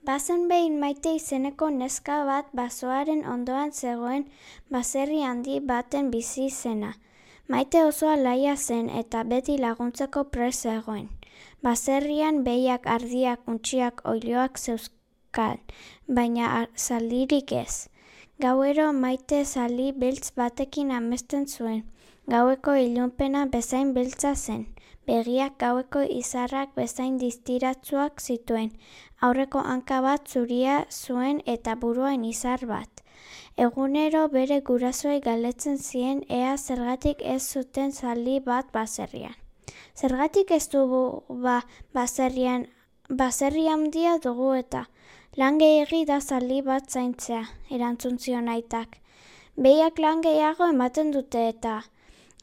Bazen behin Maite izeneko neska bat basoaren ondoan zegoen baserri handi baten bizi zena. Maite oso alaia zen eta beti laguntzeko prest zegoen. Baserrian behiak, ardiak, untxiak, oiloak zeuzkan, baina zaldirik ez. Gauero Maite zaldi beltz batekin amesten zuen. Gaueko ilunpena bezain beltza zen. Begiak gaueko izarrak bezain distiratsuak zituen. Aurreko hanka bat zuria zuen eta buruan izar bat. Egunero bere gurasoei galdetzen zien ea zergatik ez zuten zaldi bat baserrian. Zergatik ez dugu baserri handia dugu eta lan gehiegi da zaldi bat zaintzea, erantzun zion aitak. Behiak lan gehiago ematen dute eta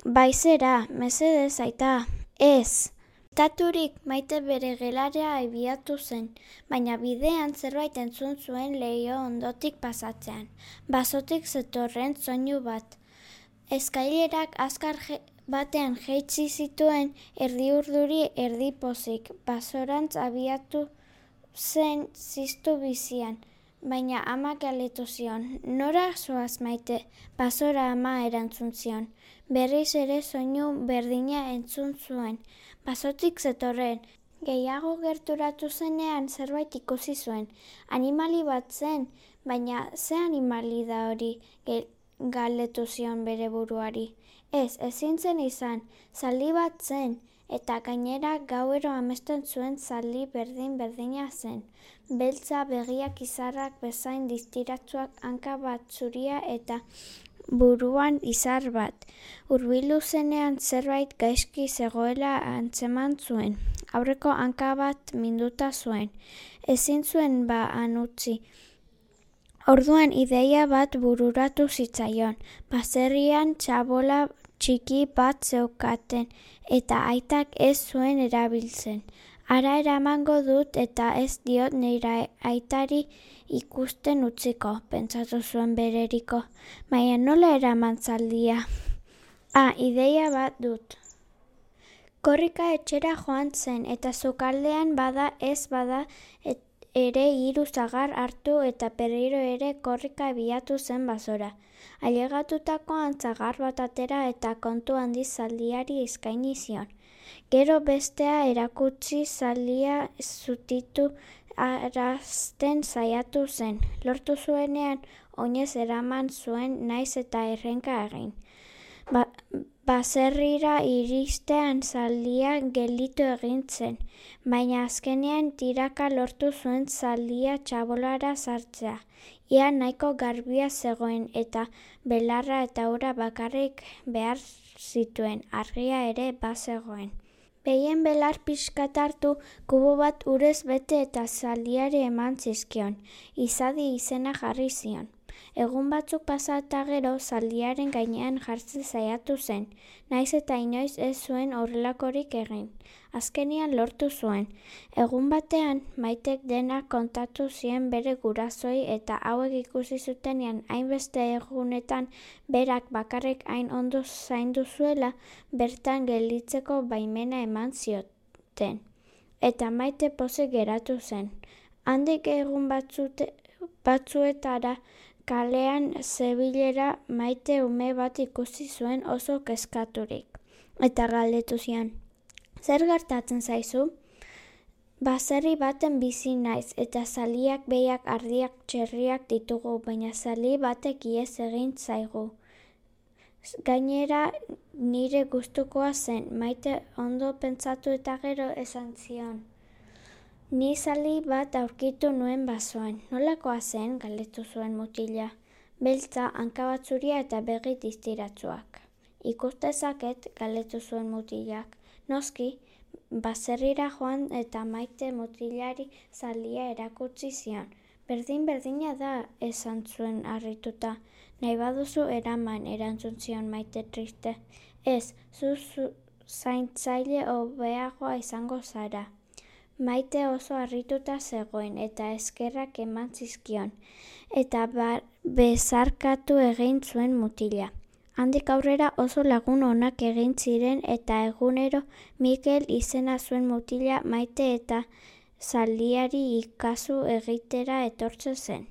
baizera, mesedez aita, ez. Taturik Maite bere gelara abiatu zen, baina bidean zerbait entzun zuen leiho ondotik pasatzean. Basotik zetorren soinu bat. Eskailerak azkar batean jaitsi zituen erdi urduri erdi pozik. Basorantz abiatu zen ziztu bizian, baina amak galdetu zion. Nora zoaz Maite? Basora ama erantzun zion. Berriz ere soinu berdina entzun zuen. Basotik zetorren. Gehiago gerturatu zenean zerbait ikusi zuen. Animali bat zen, baina ze animali da hori? Galdetu zion bere buruari. Ezin zen izan, zaldi bat zen, eta gainera gauero amesten zuen zaldi berdin-berdina zen. Beltza, begiak izarrak bezain distiratsuak, hanka bat zuria eta buruan izar bat. Hurbildu zenean zerbait gaizki zegoela antzeman zuen. Aurreko hanka bat minduta zuen. Ezin zuen han utzi. Orduan ideia bat bururatu zitzaion. Baserrian txabola txiki bat zeukaten eta aitak ez zuen erabiltzen. Hara eramango dut eta ez diot nire aitari ikusten utziko, pentsatu zuen bereriko. Baina nola eraman zaldia? Ideia bat dut. Korrika etxera joan zen eta sukaldean bada ez bada ere 3 sagar hartu eta berriro ere korrika abiatu zen basora. Ailegatutako antzagar bat atera eta kontu handiz zaldiari eskaini zion. Gero bestea erakutsi zaldia zutitu arazten saiatu zen. Lortu zuenean oinez eraman zuen naiz eta errenka egin. Baserrira iristean zaldia gelditu egin zen, baina azkenean tiraka lortu zuen zaldia txabolara sartzea. Ia nahiko garbia zegoen eta belarra eta ura bakarrik behar zituen, argia ere bazegoen. Behien belar pixkat hartu, kubo bat urez bete eta zaldiari eman zizkion. Izadi izena jarri zion. Egun batzuk pasa eta gero zaldiaren gainean jartzen saiatu zen, naiz eta inoiz ez zuen horrelakorik egin. Azkenian lortu zuen. Egun batean Maitek denak kontatu zien bere gurasoi eta hauek ikusi zutenean hainbeste egunetan berak bakarrik hain ondo zaindu zuela bertan gelditzeko baimena eman zioten. Eta Maite pozik geratu zen. Handik egun batzuetara kalean zebilera Maite ume bat ikusi zuen oso kezkaturik. Eta galdetu zion. Zer gertatzen zaizu? Baserri baten bizi naiz eta zaliak, behiak, ardiak, txerriak ditugu, baina zali batek ihes egin zaigu. Gainera nire gustukoa zen, Maite ondo pentsatu eta gero esan zion. Ni zali bat aurkitu nuen basoan. Nolakoa zen, galdetu zuen mutila. Beltza, hanka bat zuria eta begi distiratsuak. Ikus dezaket, galdetu zuen mutilak. Noski, baserrira joan eta Maite mutilari zalia erakutsi zion. Berdin-berdina da, esan zuen harrituta. Nahi baduzu eraman, erantzun zion Maite triste. Ez, zu zaintzaile hobeagoa izango zara. Maite oso harrituta zegoen eta eskerrak eman zizkion, eta bezarkatu egin zuen mutila. Handik aurrera oso lagun onak egin ziren eta egunero Mikel izena zuen mutila Maite eta zaldiari ikazu egitera etortzen zen.